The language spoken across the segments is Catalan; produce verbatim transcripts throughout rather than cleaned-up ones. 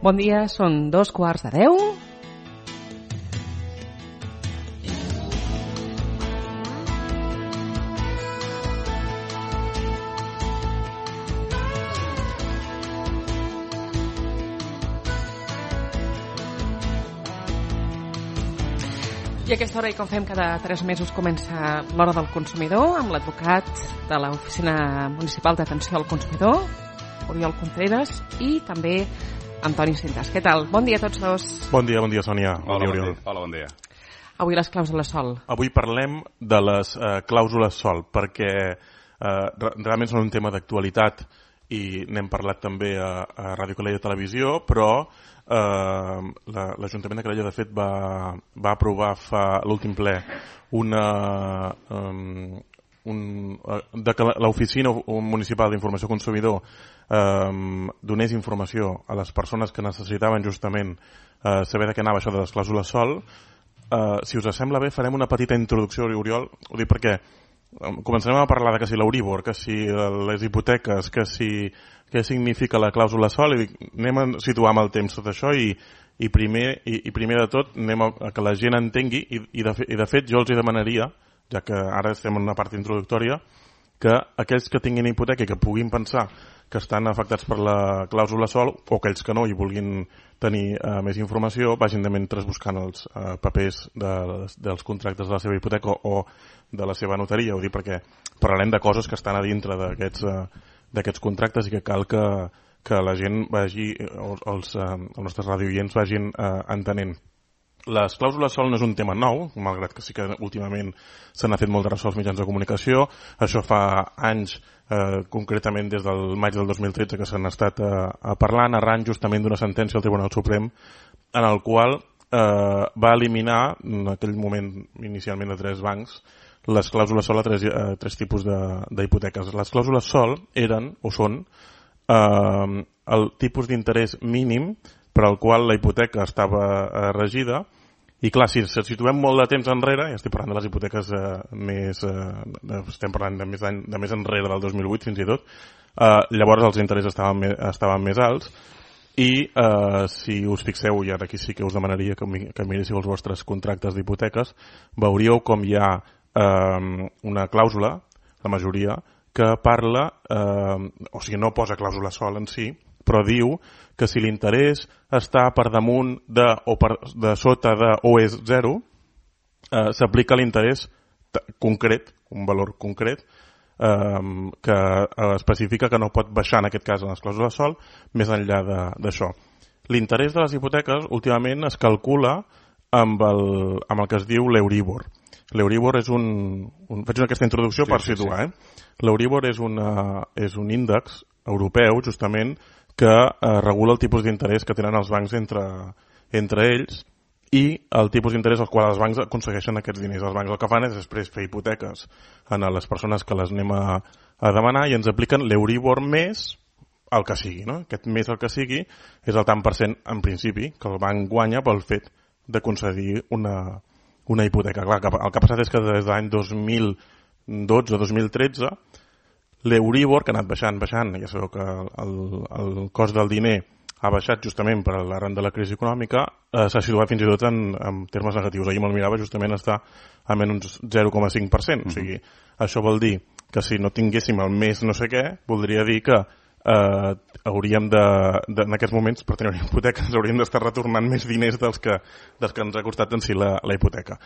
Bon dia, són dos quarts de deu. I a aquesta hora, i com fem cada tres mesos, comença l'Hora del Consumidor amb l'advocat de l'Oficina Municipal d'Atenció al Consumidor, Oriol Contreras, i també Antoni Cintas. Què tal? Bon dia a tots dos. Bon dia, bon dia, Sònia. Bon dia, Oriol. Hola, bon dia. Avui les clàusules sol. Avui parlem de les eh, clàusules sol, perquè eh, realment són un tema d'actualitat i n'hem parlat també a, a Ràdio Calella Televisió, però eh, l'Ajuntament de Calella, de fet, va, va aprovar fa l'últim ple una... Um, un, de que l'Oficina Municipal d'Informació Consumidor eh, donés informació a les persones que necessitaven justament eh, saber de què anava això de les clàusules sol. Eh, si us sembla bé, farem una petita introducció, Oriol, ho dic perquè començarem a parlar de que si l'Euribor, que si les hipoteques, que si què significa la clàusula sol, i dic, anem a situar amb el temps tot això i, i, primer, i, i primer de tot anem a, a que la gent entengui i, i, de, i de fet jo els hi demanaria, ja que ara estem en una part introductòria, que aquells que tinguin hipoteca i que puguin pensar que estan afectats per la clàusula sol, o aquells que no i vulguin tenir uh, més informació, vagin de mentre buscant els uh, papers de, dels contractes de la seva hipoteca o, o de la seva notaria. Ho dic perquè parlarem de coses que estan a dintre d'aquests uh, d'aquests contractes i que cal que, que la gent vagi, els, els, uh, els nostres radioients vagin uh, entenent. Les clàusules sol no és un tema nou, malgrat que sí que últimament se n'ha fet molt de ressò als mitjans de comunicació. Això fa anys, eh, concretament des del maig del dos mil tretze, que s'han estat eh, parlant, arran justament d'una sentència del Tribunal Suprem en el qual eh, va eliminar, en aquell moment inicialment de tres bancs, les clàusules sol a tres, eh, tres tipus d'hipoteques. Les clàusules sol eren, o són, eh, el tipus d'interès mínim per al qual la hipoteca estava eh, regida. I clar, si ens situem molt de temps enrere, ja estic parlant de les hipoteques eh, més, eh, estem parlant de més, de més enrere del dos mil vuit fins i tot, eh, llavors els interessos estaven, me, estaven més alts i eh, si us fixeu, i ara aquí sí que us demanaria que, que miréssiu els vostres contractes d'hipoteques, veuríeu com hi ha eh, una clàusula, la majoria, que parla, eh, o sigui, no posa clàusula sol en si, però diu que si l'interès està per damunt de o per de sota de o és zero, eh, s'aplica l'interès concret, un valor concret, eh, que especifica que no pot baixar, en aquest cas, en les clàusules sol, més enllà d'això. L'interès de les hipoteques, últimament, es calcula amb el, amb el que es diu l'Euribor. L'Euribor és un, un... Faig aquesta introducció sí, per situar, sí, sí. eh? L'Euribor és, una, és un índex europeu, justament, que eh, regula el tipus d'interès que tenen els bancs entre, entre ells i el tipus d'interès al qual els bancs aconsegueixen aquests diners. Els bancs el que fan és després fer hipoteques a les persones que les anem a, a demanar i ens apliquen l'Euribor més el que sigui, no? Aquest més el que sigui és el tant per cent, en principi, que el banc guanya pel fet de concedir una, una hipoteca. Clar, el que ha passat és que des de l'any dos mil dotze o dos mil tretze l'Euribor, que ha anat baixant, baixant, ja sabeu que el, el cost del diner ha baixat justament per l'arran de la crisi econòmica, eh, s'ha situat fins i tot en, en termes negatius. Ahir me'l mirava, justament està a menys zero coma cinc per cent. Mm-hmm. O sigui, això vol dir que si no tinguéssim el més no sé què, voldria dir que eh, hauríem de, de, en aquests moments, per tenir una hipoteca, ens hauríem d'estar retornant més diners dels que, dels que ens ha costat en si la, la hipoteca.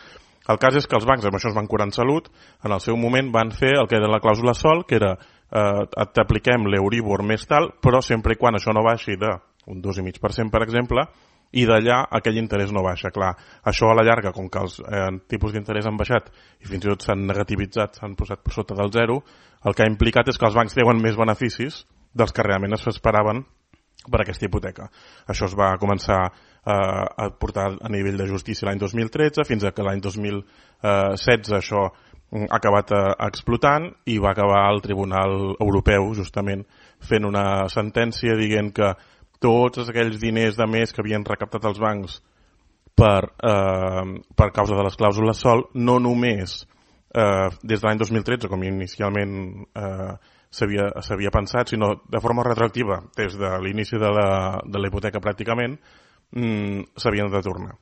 El cas és que els bancs, amb això es van curar en salut, en el seu moment van fer el que era la clàusula sol, que era eh, t'apliquem l'Euribor més tal, però sempre i quan això no baixi d'un dos coma cinc per cent, per exemple, i d'allà aquell interès no baixa. Clar, això a la llarga, com que els eh, tipus d'interès han baixat i fins i tot s'han negativitzat, s'han posat per sota del zero, el que ha implicat és que els bancs treuen més beneficis dels que realment es esperaven per aquesta hipoteca. Això es va començar eh, a portar a nivell de justícia l'any dos mil tretze, fins a que l'any dos mil setze això ha acabat eh, explotant i va acabar el Tribunal Europeu justament fent una sentència dient que tots aquells diners de més que havien recaptat els bancs per, eh, per causa de les clàusules sol, no només eh, des de l'any dos mil tretze, com inicialment eh, s'havia pensat, sinó de forma retroactiva, des de l'inici de la, de la hipoteca pràcticament, mmm, s'havien de tornar.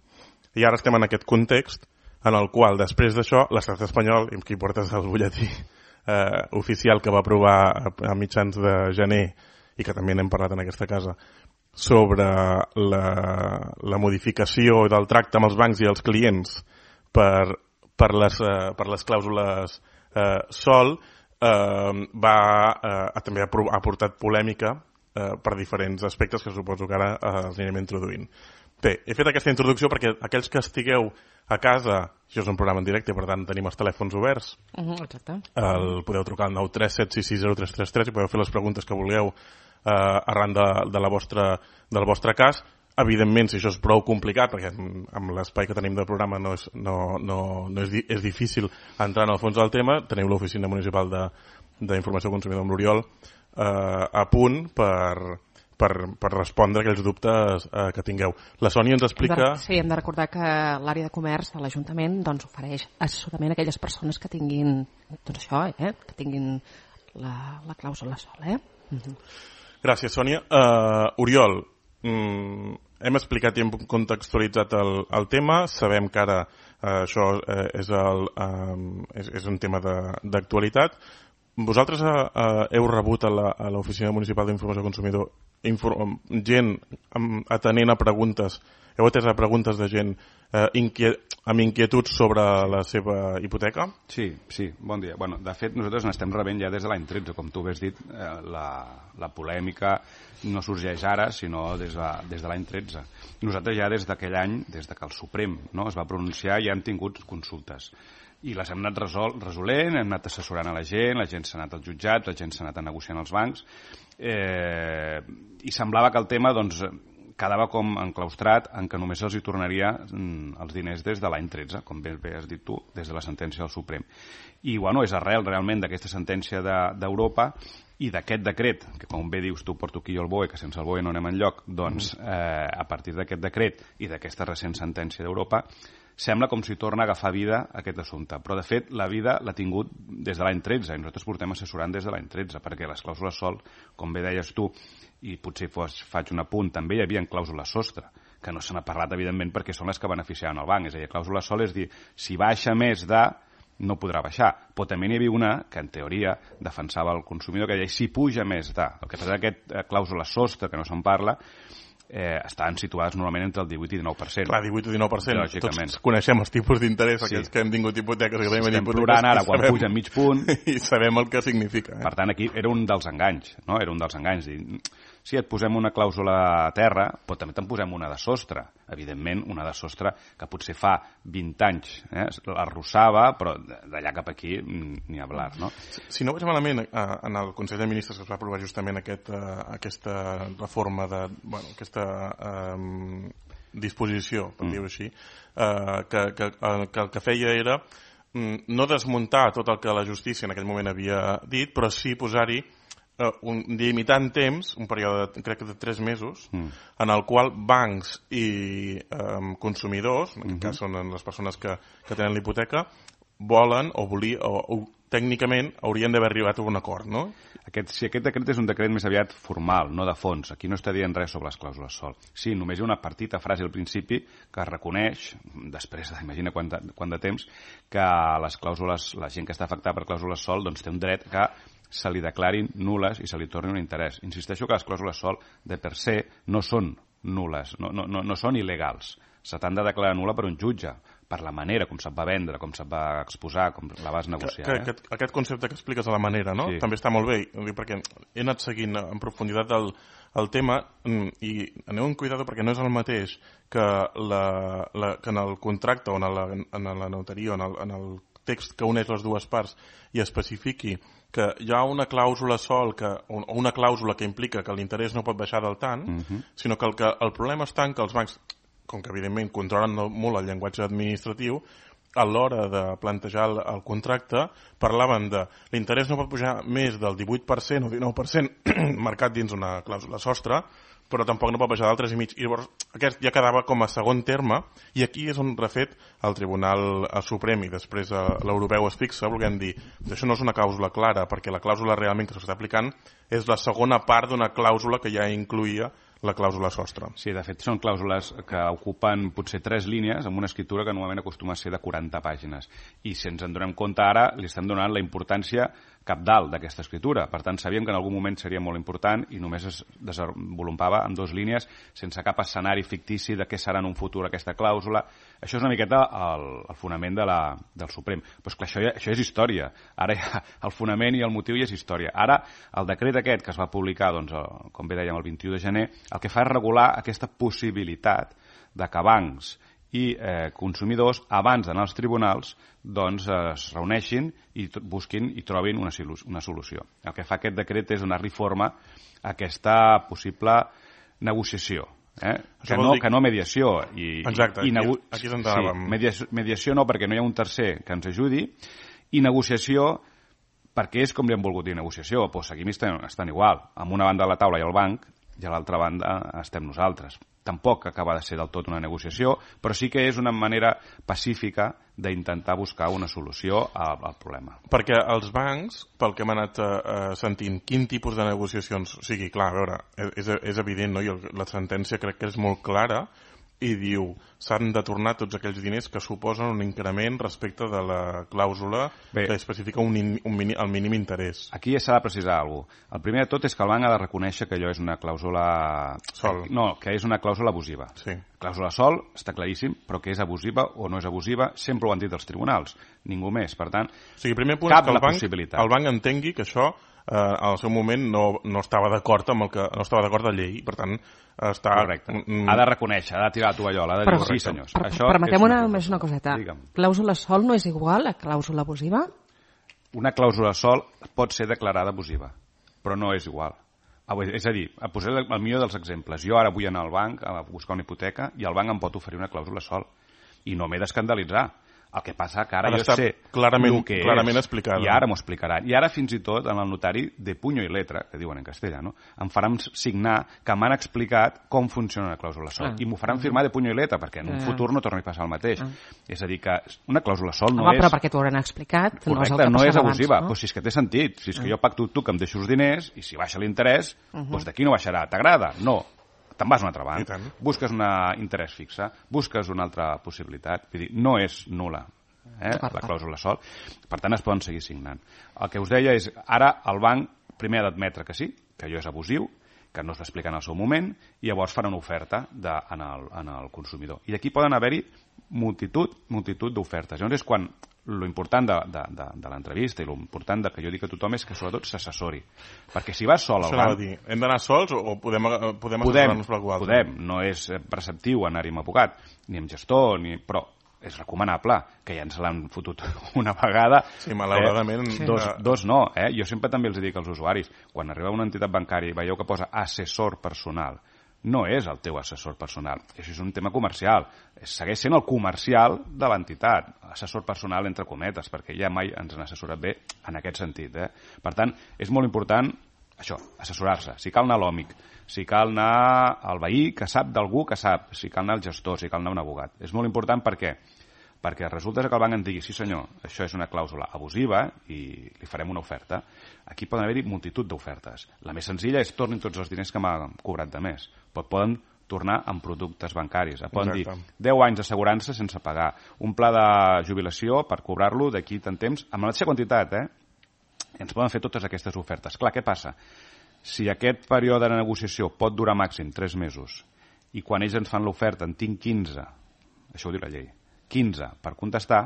I ara estem en aquest context en el qual, després d'això, l'estat espanyol, i aquí portes el butlletí eh, oficial que va aprovar a, a mitjans de gener, i que també n'hem parlat en aquesta casa, sobre la, la modificació del tracte amb els bancs i els clients per, per, les, eh, per les clàusules eh, sol, eh, va, eh, també ha, ha portat polèmica eh, per diferents aspectes que suposo que ara eh, els anirem introduint. Bé, he fet aquesta introducció perquè aquells que estigueu a casa, això és un programa en directe, per tant tenim els telèfons oberts. Uh-huh, exacte. El, podeu trucar al nou tres set sis sis zero tres tres tres i podeu fer les preguntes que vulgueu eh, arran de, de la vostra, del vostre cas. Evidentment, si això és prou complicat, perquè amb l'espai que tenim del programa no és, no, no, no és, és difícil entrar en el fons del tema, teniu l'Oficina Municipal d'Informació Consumidor amb l'Oriol eh, a punt per... Per, per respondre aquells dubtes eh, que tingueu. La Sònia ens explica... Sí, hem de recordar que l'àrea de comerç de l'Ajuntament doncs, ofereix assessorament a aquelles persones que tinguin, doncs això, eh, que tinguin la, la clàusula sol. Eh? Uh-huh. Gràcies, Sònia. Uh, Oriol, mm, hem explicat i hem contextualitzat el, el tema. Sabem que ara uh, això uh, és, el, um, és, és un tema d'actualitat. Vosaltres uh, heu rebut a l'Oficina Municipal d'Informació Consumidor inform, gent um, atenent a preguntes, heu atès a preguntes de gent uh, inquiet, amb inquietuds sobre la seva hipoteca? Sí, sí, bon dia. Bueno, de fet, nosaltres n'estem rebent ja des de l'any tretze, com tu has dit, eh, la, la polèmica no sorgeix ara, sinó des de, des de l'any tretze. Nosaltres ja des d'aquell any, des de que el Suprem no, es va pronunciar, ja hem tingut consultes. I les hem anat resol, resolent, hem anat assessorant a la gent, la gent s'ha anat als jutjats, la gent s'ha anat a negociar als bancs, eh, i semblava que el tema doncs, quedava com enclaustrat en que només els hi tornaria els diners des de l'any tretze, com bé, bé has dit tu, des de la sentència del Suprem. I bueno, és arrel realment d'aquesta sentència d'Europa de, i d'aquest decret, que com bé dius tu, porto aquí el B O E, que sense el B O E no anem enlloc, doncs eh, a partir d'aquest decret i d'aquesta recent sentència d'Europa, sembla com si torna a agafar vida aquest assumpte. Però, de fet, la vida l'ha tingut des de l'any tretze, i nosaltres portem assessorant des de l'any tretze, perquè les clàusules sol, com bé deies tu, i potser fos, faig un apunt, també hi havia clàusules sostre, que no se n'ha parlat, evidentment, perquè són les que beneficiaven el banc. És a dir, clàusula sol és dir, si baixa més de, no podrà baixar. Però també n'hi havia una que, en teoria, defensava el consumidor, que deia, si puja més de. El que passa és que aquesta clàusula sostre, que no se'n parla, Eh, estaven situades normalment entre el divuit i dinou per cent. Clar, divuit i dinou per cent. Tots coneixem els tipus d'interès, sí. Aquells que hem tingut hipoteques. Que estem plorant ara quan puja mig punt. I sabem el que significa. Eh? Per tant, aquí era un dels enganys. No? Era un dels enganys. Dir, sí, et posem una clàusula a terra, però també te'n posem una de sostre. Evidentment, una de sostre que potser fa vint anys eh, l'arrossava, però d'allà cap aquí ni hablar. No? Si, si no vaig malament, en el Consell de Ministres que es va aprovar justament aquest, aquesta reforma de... Bueno, aquesta Uh, disposició, per mm. dir-ho així, uh, que, que, que el que feia era um, no desmuntar tot el que la justícia en aquell moment havia dit, però sí posar-hi uh, un limitant temps, un període de, crec que de tres mesos, mm. en el qual bancs i um, consumidors, en aquest mm-hmm. cas són les persones que, que tenen l'hipoteca, volen o volia o, o tècnicament haurien d'haver arribat a un acord, no? Aquest, si aquest decret és un decret més aviat formal, no de fons, aquí no està dient res sobre les clàusules sol. Sí, només hi ha una petita frase al principi que reconeix, després d'imagina quant, quant de temps, que les clàusules, la gent que està afectada per clàusules sol doncs té un dret que se li declarin nules i se li torni un interès. Insisteixo que les clàusules sol de per se no són nules, no, no, no, no són il·legals. Se t'han de declarar nul·la per un jutge, per la manera com se't va vendre, com se't va exposar, com la vas negociar. Que, que, eh? aquest, aquest concepte que expliques de la manera, no? Sí. També està molt bé, perquè he anat seguint en profunditat el, el tema i aneu amb cuidado perquè no és el mateix que, la, la, que en el contracte o en la, en la notaria o en el, en el text que uneix les dues parts i especifiqui que hi ha una clàusula sol que, o una clàusula que implica que l'interès no pot baixar del tant, uh-huh. sinó que el, que el problema està en que els bancs, com que evidentment controlen molt el llenguatge administratiu, a l'hora de plantejar el, el contracte parlaven de l'interès no pot pujar més del divuit per cent o dinou per cent marcat dins una clàusula sostre, però tampoc no pot baixar del tres i mig. I llavors aquest ja quedava com a segon terme, i aquí és on refet el Tribunal Suprem i després l'europeu es fixa, volguem dir que això no és una clàusula clara, perquè la clàusula realment que s'està aplicant és la segona part d'una clàusula que ja incluïa la clàusula sostre. Sí, de fet són clàusules que ocupen potser tres línies amb una escriptura que normalment acostuma a ser de quaranta pàgines. I si ens en donem compte ara, li estem donant la importància cabdal d'aquesta escriptura. Per tant, sabíem que en algun moment seria molt important i només es desenvolupava en dues línies sense cap escenari fictici de què serà en un futur aquesta clàusula. Això és una miqueta el, el fonament de la, del Suprem. Però és clar, això, això és història. Ara ja, el fonament i el motiu ja és història. Ara, el decret aquest que es va publicar, doncs, com bé dèiem, el vint-i-u de gener, el que fa és regular aquesta possibilitat de que bancs i eh, consumidors, abans d'anar als tribunals, doncs es reuneixin i busquin i trobin una, una solució. El que fa aquest decret és donar-li forma a aquesta possible negociació. Eh? Que, no, dir... que no mediació. I, Exacte, i nego... aquí, aquí sí, mediació, mediació no, perquè no hi ha un tercer que ens ajudi, i negociació perquè és com li han volgut dir negociació. Pues aquí estan, estan igual. Amb una banda de la taula hi ha el banc i a l'altra banda estem nosaltres. Tampoc acaba de ser del tot una negociació, però sí que és una manera pacífica d'intentar buscar una solució al, al problema. Perquè els bancs, pel que hem anat eh, sentint, quin tipus de negociacions... O sigui, clar, a veure, és, és evident, no? I la sentència crec que és molt clara i diu s'han de tornar tots aquells diners que suposen un increment respecte de la clàusula Bé, que especifica un, in, un mini, el mínim interès. Aquí ja s'ha de precisar alguna cosa. El primer de tot és que el banc ha de reconèixer que allò és una clàusula... Sol. No, que és una clàusula abusiva. Sí. Clàusula sol, està claríssim, però que és abusiva o no és abusiva, sempre ho han dit els tribunals, ningú més. Per tant, o sigui, primer punt cap és que el la banc, possibilitat. El banc entengui que això eh, al seu moment no, no estava d'acord amb el que no estava d'acord de llei, per tant està... Correcte. Ha de reconèixer, ha de tirar la tovallola, ha de però, dir sí, senyors. Per, això permetem una, una, més una coseta. Digue'm. Clàusula sol no és igual a clàusula abusiva? Una clàusula sol pot ser declarada abusiva, però no és igual. És a dir, a posar el millor dels exemples. Jo ara vull anar al banc a buscar una hipoteca i el banc em pot oferir una clàusula sol i no m'he d'escandalitzar. El que passa que ara jo sé clarament, el que clarament és, explicada. i ara m'ho explicaran. I ara fins i tot en el notari de puño i letra, que diuen en castellà, no? Em faran signar que m'han explicat com funciona una clàusula sol. Ah. I m'ho faran firmar de puño i letra, perquè en un ah. futur no torni a passar el mateix. Ah. És a dir, que una clàusula sol no Home, és... però perquè t'ho hauran explicat, correcte, no és el que no és abans, abusiva. No? Pues si és que té sentit. Si és que ah. jo pacto tu que em deixo els diners i si baixa l'interès, uh -huh. pues d'aquí no baixarà. T'agrada? No. Te'n vas a un altre banc. Busques un interès fixe, busques una altra possibilitat. Vull dir, no és nul·la. Eh, la clàusula sol. Per tant, es poden seguir signant. El que us deia és, ara el banc primer ha d'admetre que sí, que allò és abusiu, que no es va explicar en el seu moment, i llavors farà una oferta de, en, el, en el consumidor. I aquí poden haver-hi multitud, multitud d'ofertes. Llavors és quan l'important de, de, de, de l'entrevista i l'important que jo dic a tothom és que sobretot s'assessori. Perquè si vas sol al banc... Dir, hem d'anar sols o podem, podem assessorar-nos per algú altre? Podem, no és preceptiu anar-hi amb abogat, ni amb gestor, ni... però és recomanable, que ja ens l'han fotut una vegada. Sí, malauradament. Eh, dos, dos no, eh? Jo sempre també els dic als usuaris, quan arribeu a una entitat bancària i veieu que posa assessor personal, no és el teu assessor personal, això és un tema comercial, segueix sent el comercial de l'entitat, assessor personal entre cometes, perquè ja mai ens han assessorat bé en aquest sentit. Eh? Per tant, és molt important això, assessorar-se. Si cal anar a l'òmic, si cal anar al veí que sap d'algú que sap, si cal anar al gestor, si cal anar a un abogat. És molt important per què? Perquè resulta que el banc em digui, sí senyor, això és una clàusula abusiva i li farem una oferta. Aquí poden haver-hi multitud d'ofertes. La més senzilla és tornin tots els diners que m'ha cobrat de més. Però poden tornar en productes bancaris. Poden Exacte. dir deu anys d'assegurança sense pagar, un pla de jubilació per cobrar-lo d'aquí tant temps, amb la mateixa quantitat, eh? Ens poden fer totes aquestes ofertes. Clar, què passa? Si aquest període de negociació pot durar màxim tres mesos i quan ells ens fan l'oferta en tinc quinze, això ho diu la llei, quinze per contestar,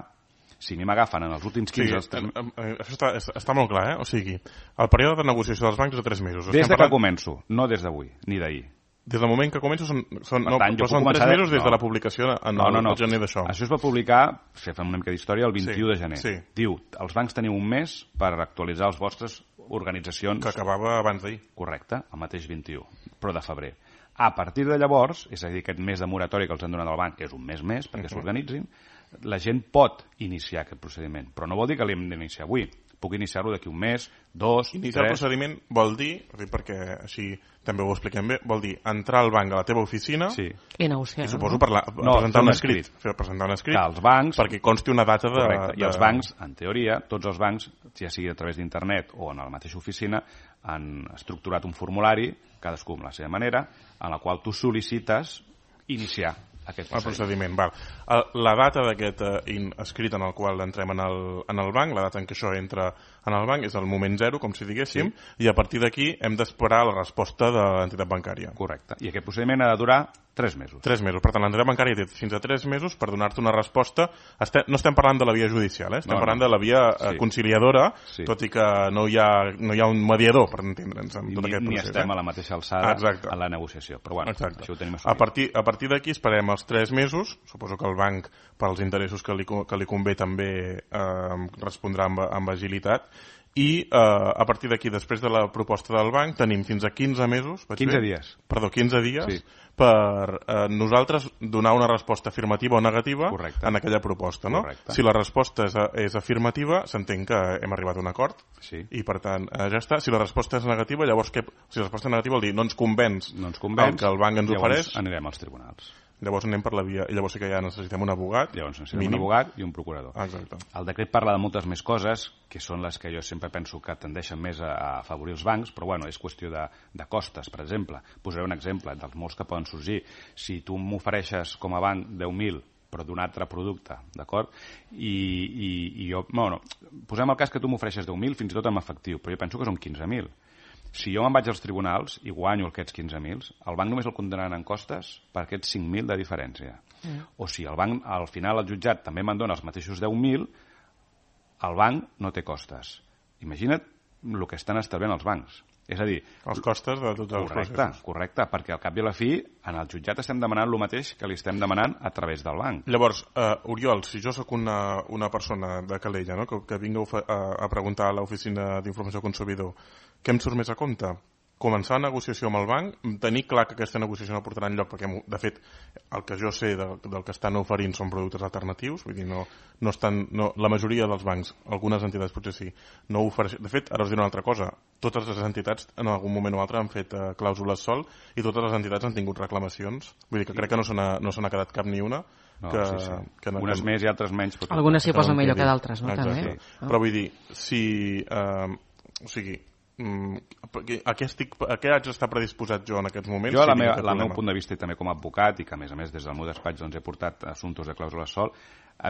si a mi m'agafen en els últims quinze... Sí, tres... això està, està molt clar, eh? O sigui, el període de negociació dels bancs és de tres mesos. Des de parlant... que començo, no des d'avui, ni d'ahir. Des del moment que començo són, són, no, tant, però són tres mesos des no. de la publicació en no, no, no. el gener d'això. Això es va publicar, si fem una mica d'història, el vint-i-u sí, de gener. Sí. Diu, els bancs teniu un mes per actualitzar les vostres organitzacions... Que acabava abans d'ahir. Correcte, el mateix vint-i-u, però de febrer. A partir de llavors, és a dir, aquest mes de moratòria que els han donat al banc, que és un mes més perquè uh -huh. s'organitzin, la gent pot iniciar aquest procediment, però no vol dir que l'hem d'iniciar avui. puc iniciar-lo d'aquí un mes, dos, Iniciar tres... el procediment vol dir, perquè així també ho expliquem bé, vol dir entrar al banc a la teva oficina sí. i negociar. I suposo no? parlar, No, presentar un un escrit, escrit. fer presentar un escrit Que els bancs... perquè consti una data de... Correcte. I de... els bancs, en teoria, tots els bancs, ja sigui a través d'internet o en la mateixa oficina, han estructurat un formulari, cadascú amb la seva manera, en la qual tu sol·licites iniciar aquest el procediment. Val. La data d'aquest eh, escrit en el qual entrem en el, en el banc, la data en què això entra en el banc és el moment zero, com si diguéssim, sí. I a partir d'aquí hem d'esperar la resposta de l'entitat bancària. Correcte. I aquest procediment ha de durar tres mesos. Tres mesos. Per tant, l'entitat bancària té fins a tres mesos per donar-te una resposta. Estem, no estem parlant de la via judicial, eh? Estem no, parlant no. de la via sí. conciliadora, sí. Tot i que no hi ha, no hi ha un mediador, per entendre'ns, en tot ni, aquest procés. Ni estem eh? a la mateixa alçada Exacte. En la negociació. Però bueno, Exacte. Això ho tenim assumit. A partir, a partir d'aquí esperem els tres mesos. Suposo que el banc, pels interessos que li, que li convé, també eh, respondrà amb, amb agilitat. I eh, a partir d'aquí, després de la proposta del banc, tenim fins a quinze mesos... quinze dies. Perdó, quinze dies sí. per eh, nosaltres donar una resposta afirmativa o negativa Correcte. En aquella proposta. No? Correcte. Si la resposta és, és afirmativa, s'entén que hem arribat a un acord sí. I, per tant, eh, ja està. Si la resposta és negativa, llavors què? Si la resposta és negativa vol dir no ens convenç, no ens convenç el que el banc ens llavors ofereix... anirem als tribunals. Llavors anem per la via... I llavors sí que ja necessitem un abogat. Llavors necessitem mínim. un abogat i un procurador. Exacte. El decret parla de moltes més coses, que són les que jo sempre penso que tendeixen més a, a afavorir els bancs, però bueno, és qüestió de, de costes, per exemple. Posaré un exemple dels molts que poden sorgir. Si tu m'ofereixes com a banc deu mil però d'un altre producte, d'acord? I, i, i jo... Bueno, posem el cas que tu m'ofereixes deu mil fins i tot en efectiu, però jo penso que són quinze mil. Si jo me'n vaig als tribunals i guanyo aquests quinze mil, el banc només el condemnaran en costes per aquests cinc mil de diferència. Mm. O si el banc, al final, el jutjat també me'n dona els mateixos deu mil, el banc no té costes. Imagina't el que estan estalviant els bancs. És a dir... Els costes de tots els correcte, processos. Correcte, perquè al cap i a la fi, en el jutjat estem demanant el mateix que li estem demanant a través del banc. Llavors, uh, Oriol, si jo sóc una, una persona de Calella, no? que, que vinc a, a preguntar a l'Oficina d'Informació Consumidor, què em surt més a compte? Començar la negociació amb el banc, tenir clar que aquesta negociació no portarà enlloc, perquè, de fet, el que jo sé del, del que estan oferint són productes alternatius, vull dir, no, no estan, no, la majoria dels bancs, algunes entitats potser sí, no ofereixen. De fet, ara us diré una altra cosa, totes les entitats en algun moment o altre han fet uh, clàusules sol i totes les entitats han tingut reclamacions, vull dir que crec que no se n'ha no se n'ha quedat cap ni una. No, que, sí, sí. que no, unes que... més i altres menys. Però algunes s'hi posen millor que d'altres, no? Exacte. També. Sí. Però vull dir, si... Uh, o sigui, a què, estic, a què haig d'estar predisposat jo en aquests moments? Jo, si la meva, la meu punt de vista i també com a advocat, i que a més a més des del meu despatx doncs, he portat assumptes de clàusula sol,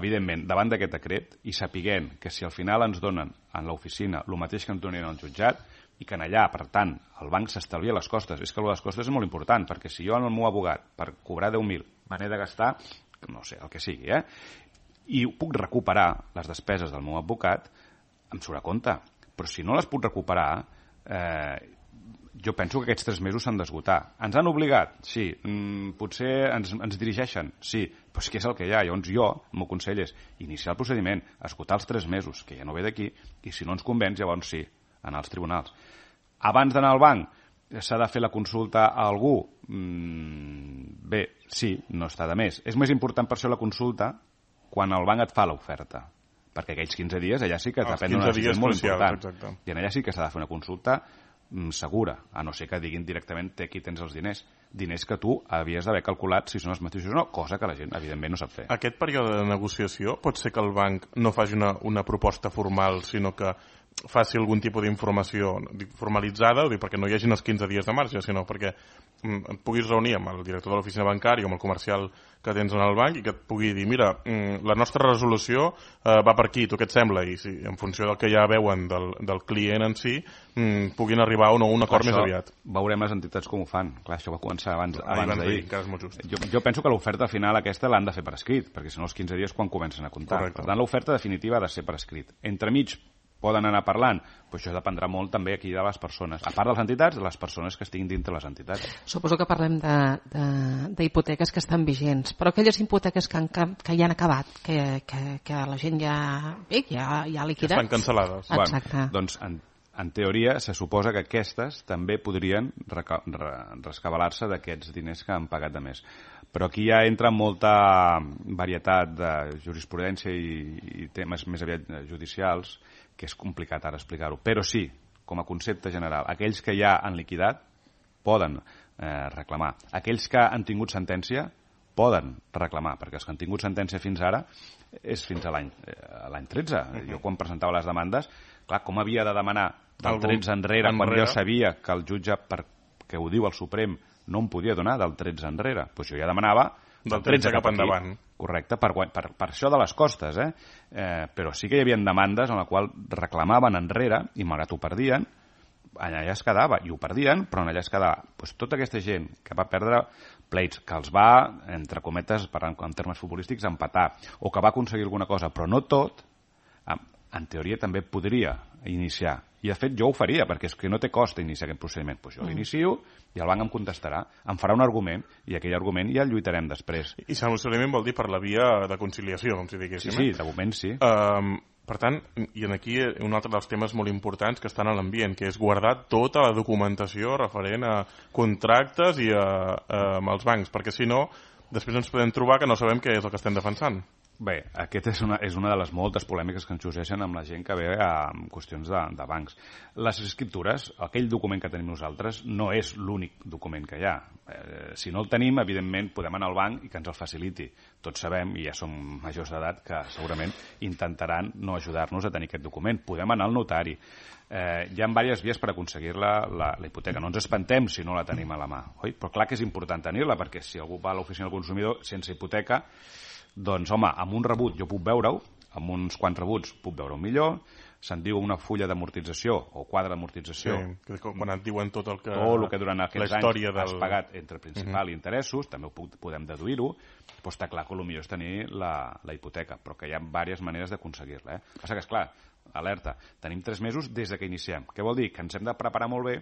evidentment, davant d'aquest decret, i sapiguent que si al final ens donen en l'oficina el mateix que ens donen al jutjat, i que en allà, per tant, el banc s'estalvia les costes. És que les costes és molt important, perquè si jo amb el meu abogat, per cobrar deu mil, me n'he de gastar, no sé, el que sigui, eh? I puc recuperar les despeses del meu advocat, em surt a compte. Però si no les puc recuperar, eh, jo penso que aquests tres mesos s'han d'esgotar. Ens han obligat? Sí. Mm, potser ens, ens dirigeixen? Sí. Però és que és el que hi ha. Llavors jo, el meu consell és iniciar el procediment, esgotar els tres mesos, que ja no ve d'aquí, i si no ens convenç, llavors sí, anar als tribunals. Abans d'anar al banc, s'ha de fer la consulta a algú? Mm, bé, sí, no està de més. És més important per això la consulta quan el banc et fa l'oferta. Perquè aquells quinze dies allà sí que depèn d'una decisió molt important. Exacte. I en allà sí que s'ha de fer una consulta mm, segura, a no ser que diguin directament té aquí tens els diners. Diners que tu havies d'haver calculat si són els mateixos o no, cosa que la gent evidentment no sap fer. Aquest període de negociació pot ser que el banc no faci una, una proposta formal, sinó que faci algun tipus d'informació formalitzada, perquè no hi hagin els quinze dies de marge, sinó perquè et puguis reunir amb el director de l'oficina bancària o amb el comercial que tens en el banc i que et pugui dir, mira, la nostra resolució eh, va per aquí, tu què et sembla? I si en funció del que ja veuen del, del client en si, mm, puguin arribar o no a un acord això, més aviat. Veurem les entitats com ho fan. Clar, això va començar abans, ah, abans d'ahir. Jo, jo penso que l'oferta final aquesta l'han de fer per escrit, perquè si no els quinze dies quan comencen a comptar. Correcte. Per tant, l'oferta definitiva ha de ser per escrit. Entremig poden anar parlant, però això dependrà molt també aquí de les persones. A part de les entitats, de les persones que estiguin dintre les entitats. Suposo que parlem d'hipoteques que estan vigents, però aquelles hipoteques que, han, que ja han acabat, que, que, que la gent ja, bé, ja, ja ha liquidat. Estan cancel·lades. Exacte. Bueno, doncs, en, en teoria, se suposa que aquestes també podrien reca, re, rescabalar-se d'aquests diners que han pagat de més. Però aquí ja entra molta varietat de jurisprudència i, i temes més aviat judicials que és complicat ara explicar-ho, però sí, com a concepte general, aquells que ja han liquidat poden eh, reclamar. Aquells que han tingut sentència poden reclamar, perquè els que han tingut sentència fins ara és fins a l'any eh, l'any tretze. Uh-huh. Jo quan presentava les demandes, clar, com havia de demanar del tretze enrere, enrere, quan jo sabia que el jutge, perquè ho diu el Suprem, no em podia donar del tretze enrere. Doncs jo ja demanava del tretze cap endavant. Correcte, per, per, per això de les costes, eh? eh? Però sí que hi havia demandes en la qual reclamaven enrere i malgrat ho perdien, allà es quedava, i ho perdien, però allà es quedava. Pues tota aquesta gent que va perdre pleits, que els va, entre cometes, parlant en termes futbolístics, empatar, o que va aconseguir alguna cosa, però no tot, en, en teoria també podria iniciar. I de fet jo ho faria, perquè és que no té cost iniciar aquest procediment. Pues jo l'inicio i el banc em contestarà, em farà un argument, i aquell argument ja el lluitarem després. I solucionament vol dir per la via de conciliació, com si diguéssim. Sí, sí, de moment sí. Um, per tant, i en aquí un altre dels temes molt importants que estan a l'ambient, que és guardar tota la documentació referent a contractes i a, a, amb els bancs, perquè si no, després ens podem trobar que no sabem què és el que estem defensant. Bé, aquesta és una, és una de les moltes polèmiques que ens sorgeixen amb la gent que ve a qüestions de, de bancs. Les escriptures, aquell document que tenim nosaltres, no és l'únic document que hi ha. Eh, si no el tenim, evidentment, podem anar al banc i que ens el faciliti. Tots sabem, i ja som majors d'edat, que segurament intentaran no ajudar-nos a tenir aquest document. Podem anar al notari. Eh, hi ha diverses vies per aconseguir la, la, la hipoteca. No ens espantem si no la tenim a la mà. Oi? Però clar que és important tenir-la, perquè si algú va a l'oficina del consumidor sense hipoteca, doncs, home, amb un rebut jo puc veure-ho, amb uns quants rebuts puc veure-ho millor, se'n diu una fulla d'amortització o quadre d'amortització. Sí, quan et diuen tot el que... Tot el que durant aquests anys del... has pagat entre principal uh-huh. i interessos, també ho puc, podem deduir-ho, però està clar que el millor és tenir la, la hipoteca, però que hi ha diverses maneres d'aconseguir-la. Eh? Passa que, esclar, alerta, tenim tres mesos des de que iniciem. Què vol dir? Que ens hem de preparar molt bé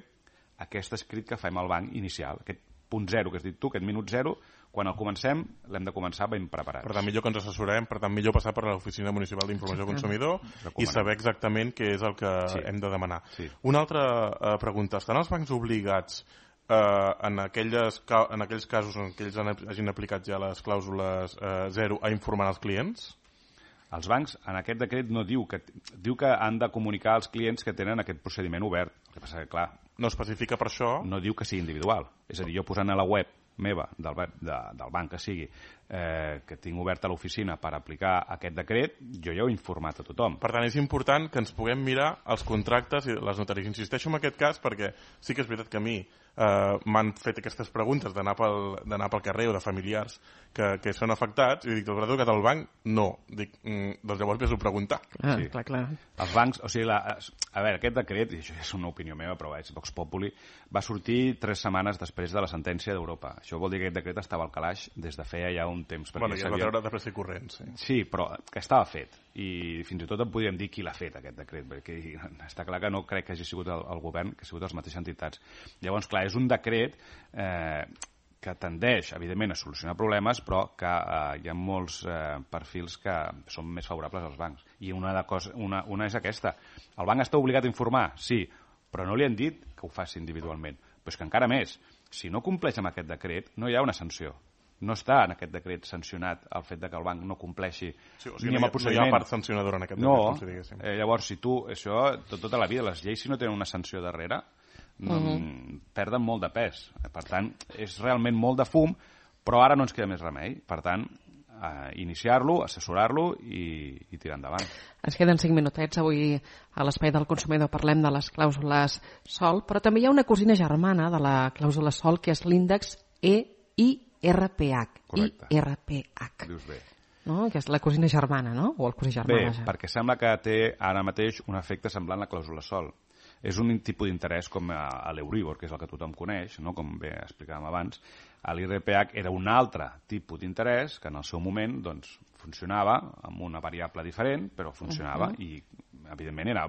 aquest escrit que fem al banc inicial, aquest punt zero que has dit tu, aquest minut zero, quan el comencem, l'hem de començar ben preparats. Per tant, millor que ens assessorem, per tant, millor passar per l'Oficina Municipal d'Informació del Consumidor i saber exactament què és el que sí. hem de demanar. Sí. Una altra uh, pregunta. Estan els bancs obligats uh, en, aquelles, en aquells casos en què ells hagin aplicat ja les clàusules uh, zero a informar els clients? Els bancs, en aquest decret, no diu que, diu que han de comunicar als clients que tenen aquest procediment obert. El que passa que, clar... No especifica per això... No diu que sigui individual. És a dir, jo posant a la web meva, del, de, del banc que sigui, eh, que tinc oberta l'oficina per aplicar aquest decret, jo ja ho he informat a tothom. Per tant, és important que ens puguem mirar els contractes i les notaries. Insisteixo en aquest cas perquè sí que és veritat que a mi eh, m'han fet aquestes preguntes d'anar pel, d'anar pel carrer o de familiars que, que són afectats i dic, el brado que del banc, no. Dic, mm, doncs llavors vés-ho preguntar. Ah, sí. clar, clar. Els bancs, o sigui, la, a veure, aquest decret, i això és una opinió meva, però és Vox Populi, va sortir tres setmanes després de la sentència d'Europa. Això vol dir que aquest decret estava al calaix des de feia ja un temps. Bueno, ja es va sabia... treure de pressa i corrent, sí. Sí, però que estava fet. I fins i tot en podríem dir qui l'ha fet, aquest decret, perquè està clar que no crec que hagi sigut el, el govern, que ha sigut les mateixes entitats. Llavors, clar, és un decret eh, que tendeix, evidentment, a solucionar problemes, però que eh, hi ha molts eh, perfils que són més favorables als bancs. I una, de cosa, una, una és aquesta. El banc està obligat a informar? Sí, però no li han dit que ho faci individualment. Però és que encara més, si no compleix amb aquest decret, no hi ha una sanció. No està en aquest decret sancionat el fet de que el banc no compleixi sí, o sigui, ni amb el procediment. No hi ha part sancionadora en aquest no, decret, com si diguéssim. Eh, llavors, si tu, això, tot, tota la vida, les lleis, si no tenen una sanció darrere, no, uh-huh. perden molt de pes. Per tant, és realment molt de fum, però ara no ens queda més remei. Per tant, eh, iniciar-lo, assessorar-lo i, i tirar endavant. Ens queden cinc minutets. Avui a l'Espai del Consumidor parlem de les clàusules SOL, però també hi ha una cosina germana de la clàusula SOL, que és l'índex E I R P H. Correcte. I R P H. Dius bé. No? Que és la cosina germana, no? O el cosí germana. Bé, perquè sembla que té ara mateix un efecte semblant a la clàusula SOL. És un tipus d'interès com a, a l'Euribor, que és el que tothom coneix, no? Com bé explicàvem abans. L'I R P H era un altre tipus d'interès que en el seu moment doncs, funcionava amb una variable diferent, però funcionava uh-huh. i, evidentment, era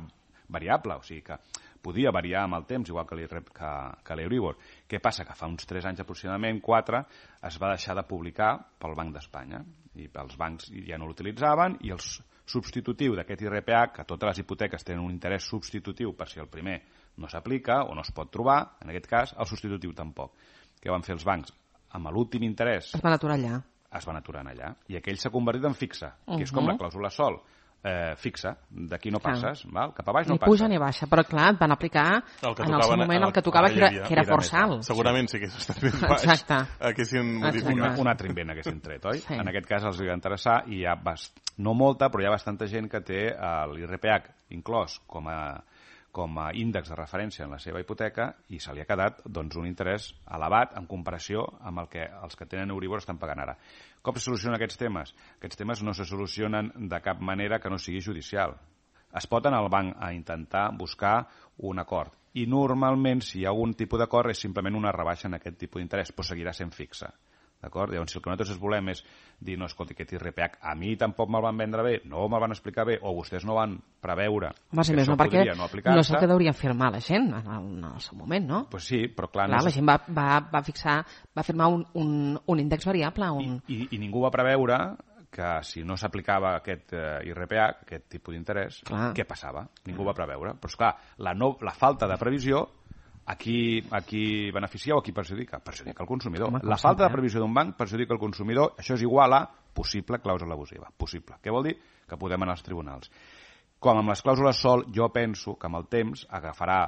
variable, o sigui que podia variar amb el temps, igual que l'Euribor. Què passa? Que fa uns tres anys aproximadament, quatre, es va deixar de publicar pel Banc d'Espanya. I els bancs ja no l'utilitzaven i el substitutiu d'aquest I R P H, que totes les hipoteques tenen un interès substitutiu per si el primer no s'aplica o no es pot trobar, en aquest cas, el substitutiu tampoc. Què van fer els bancs? Amb l'últim interès... Es van aturar allà. Es van aturar allà. I aquell s'ha convertit en fixe, que és com la clàusula SOL. eh, fixa, d'aquí no passes, val? Cap a baix no ni passes. puja ni baixa, però clar, et van aplicar El que en el seu tocaven, moment el- el que tocava, ara que hi era, havia. que era Era força més alt. Segurament si hagués estat més baix, Exacte. haguessin modificat. Un, un altre invent haguessin tret, oi? Sí. En aquest cas els va interessar i hi ha, bast... no molta, però hi ha bastanta gent que té l'I R P H inclòs com a, com a índex de referència en la seva hipoteca i se li ha quedat doncs, un interès elevat en comparació amb el que els que tenen Euribor estan pagant ara. Com se solucionen aquests temes? Aquests temes no se solucionen de cap manera que no sigui judicial. Es pot anar al banc a intentar buscar un acord. I normalment, si hi ha algun tipus d'acord, és simplement una rebaixa en aquest tipus d'interès, però seguirà sent fixa. D'acord? Llavors, si el que nosaltres volem és dir, no, escolti, aquest I R P H a mi tampoc me'l van vendre bé, no me'l van explicar bé, o vostès no van preveure Home, si que més això no, perquè podria no no aplicar-se... és el que deurien firmar la gent en el, en el seu moment, no? Pues sí, però clar... Clar, no la gent va, va, va fixar, va firmar un, un, un índex variable, un... I, i, I ningú va preveure que si no s'aplicava aquest eh, I R P H, aquest tipus d'interès, què passava? Ningú va preveure. Però, esclar, la, no, la falta de previsió, a qui, a qui beneficia o a qui perjudica? Perjudica el consumidor. Home, la falta de previsió d'un banc perjudica el consumidor. Això és igual a possible clàusula abusiva. Possible. Què vol dir? Que podem anar als tribunals. Com amb les clàusules sol, jo penso que amb el temps agafarà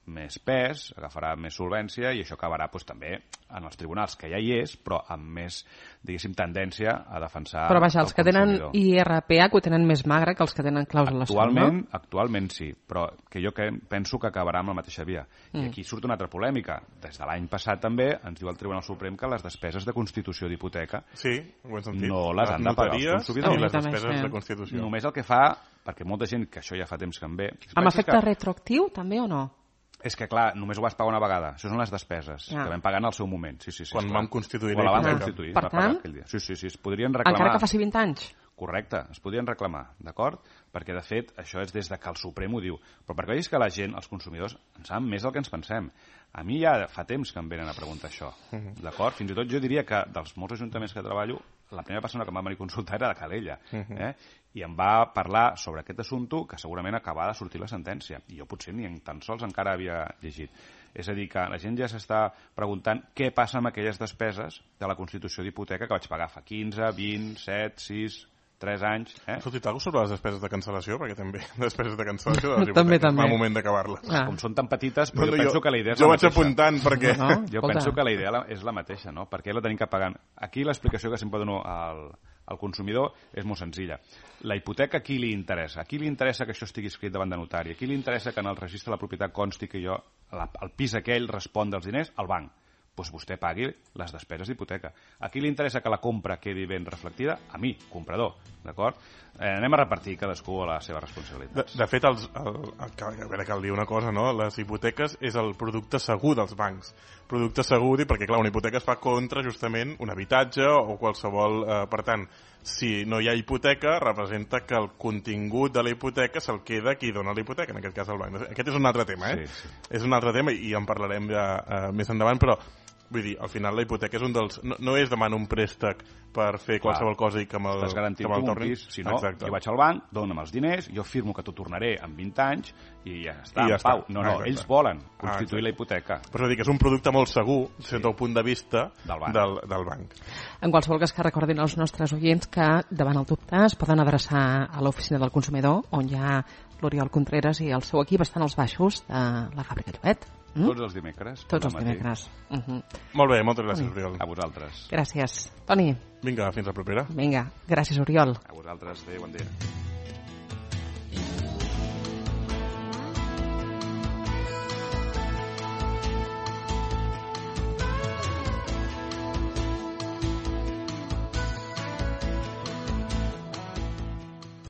més pes, agafarà més solvència i això acabarà doncs, també en els tribunals, que ja hi és, però amb més, diguéssim, tendència a defensar Però vaja, els el que tenen consumidor. I R P H ho tenen més magre que els que tenen clàusules sol, Actualment, no? actualment sí, però que jo que penso que acabarà amb la mateixa via. Mm. I aquí surt una altra polèmica. Des de l'any passat també ens diu el Tribunal Suprem que les despeses de constitució d'hipoteca Sí, ho hem sentit. no les han de pagar els consumidors. I les També, despeses sí. de Constitució. Només el que fa, perquè molta gent, que això ja fa temps que en ve... Amb efecte que... retroactiu, també, o no? És que, clar, només ho vas pagar una vegada. Això són les despeses Ja. que vam pagar en el seu moment. Sí, sí, sí, Quan esclar. vam constituir Quan la vam la hipoteca. constituir. Per va pagar tant, aquell dia. Sí, sí, sí, es podrien reclamar. Encara que faci vint anys? Correcte, es podien reclamar, d'acord? Perquè, de fet, això és des de que el Suprem ho diu. Però perquè vegis que la gent, els consumidors, en saben més del que ens pensem. A mi ja fa temps que em venen a preguntar això, d'acord? Fins i tot jo diria que dels molts ajuntaments que treballo, la primera persona que em va venir a consultar era la Calella, eh? I em va parlar sobre aquest assumpte que segurament acabava de sortir la sentència. I jo potser ni tan sols encara havia llegit. És a dir, que la gent ja s'està preguntant què passa amb aquelles despeses de la Constitució d'hipoteca que vaig pagar fa quinze, vint, set, sis, tres anys. Eh? Has sortit alguna cosa sobre les despeses de cancel·lació? Perquè també despeses de cancel·lació de les També, hipoteques. també. Va moment d'acabar-les. Ah. Com són tan petites, però No, no, jo penso jo- que la idea és jo la vaig mateixa. apuntant perquè... No, Jo escolta. penso que la idea la- és la mateixa, no? Per què la tenim que pagar? Aquí l'explicació que sempre dono al, al consumidor és molt senzilla. La hipoteca a qui li interessa? A qui li interessa que això estigui escrit davant de notari? A qui li interessa que en el registre de la propietat consti que jo, la, el pis aquell respon dels diners? Al banc. Doncs vostè pagui les despeses d'hipoteca. A qui li interessa que la compra quedi ben reflectida? A mi, comprador, d'acord? Eh, anem a repartir cadascú a la seva responsabilitat. De, de fet, els, el, el, el, a veure, cal dir una cosa, no? Les hipoteques és el producte segur dels bancs. Producte segur, perquè clar, una hipoteca es fa contra justament un habitatge o qualsevol... Eh, per tant, si no hi ha hipoteca, representa que el contingut de la hipoteca se'l queda qui dona la hipoteca, en aquest cas el banc. Aquest és un altre tema, eh? Sí, sí. És un altre tema i en parlarem ja eh, més endavant, però vull dir, al final la hipoteca és un dels... No, no és demanar un préstec per fer qualsevol Clar. cosa i que me'l Estàs garantint que me'l tu un tornin. pis, si no, Exacte. jo vaig al banc, dona'm els diners, jo firmo que t'ho tornaré en vint anys i ja està, I ja en pau. està. No, no, Exacte. ells volen Ah, constituir exacte. la hipoteca. Però és a dir, que és un producte molt segur, sí. Des del punt de vista Del banc. Del, del banc. En qualsevol cas que recordin als nostres oients que davant el dubte es poden adreçar a l'oficina del consumidor on hi ha l'Oriol Contreras i el seu equip estan als baixos de la fàbrica Llobet. Mm? Tots els dimecres. Tots al els matí. dimecres. Uh -huh. Molt bé, moltes gràcies, Oriol. A vosaltres. Gràcies. Toni, Vinga, fins la propera. vinga, gràcies, Oriol. A vosaltres. Adéu, bon dia.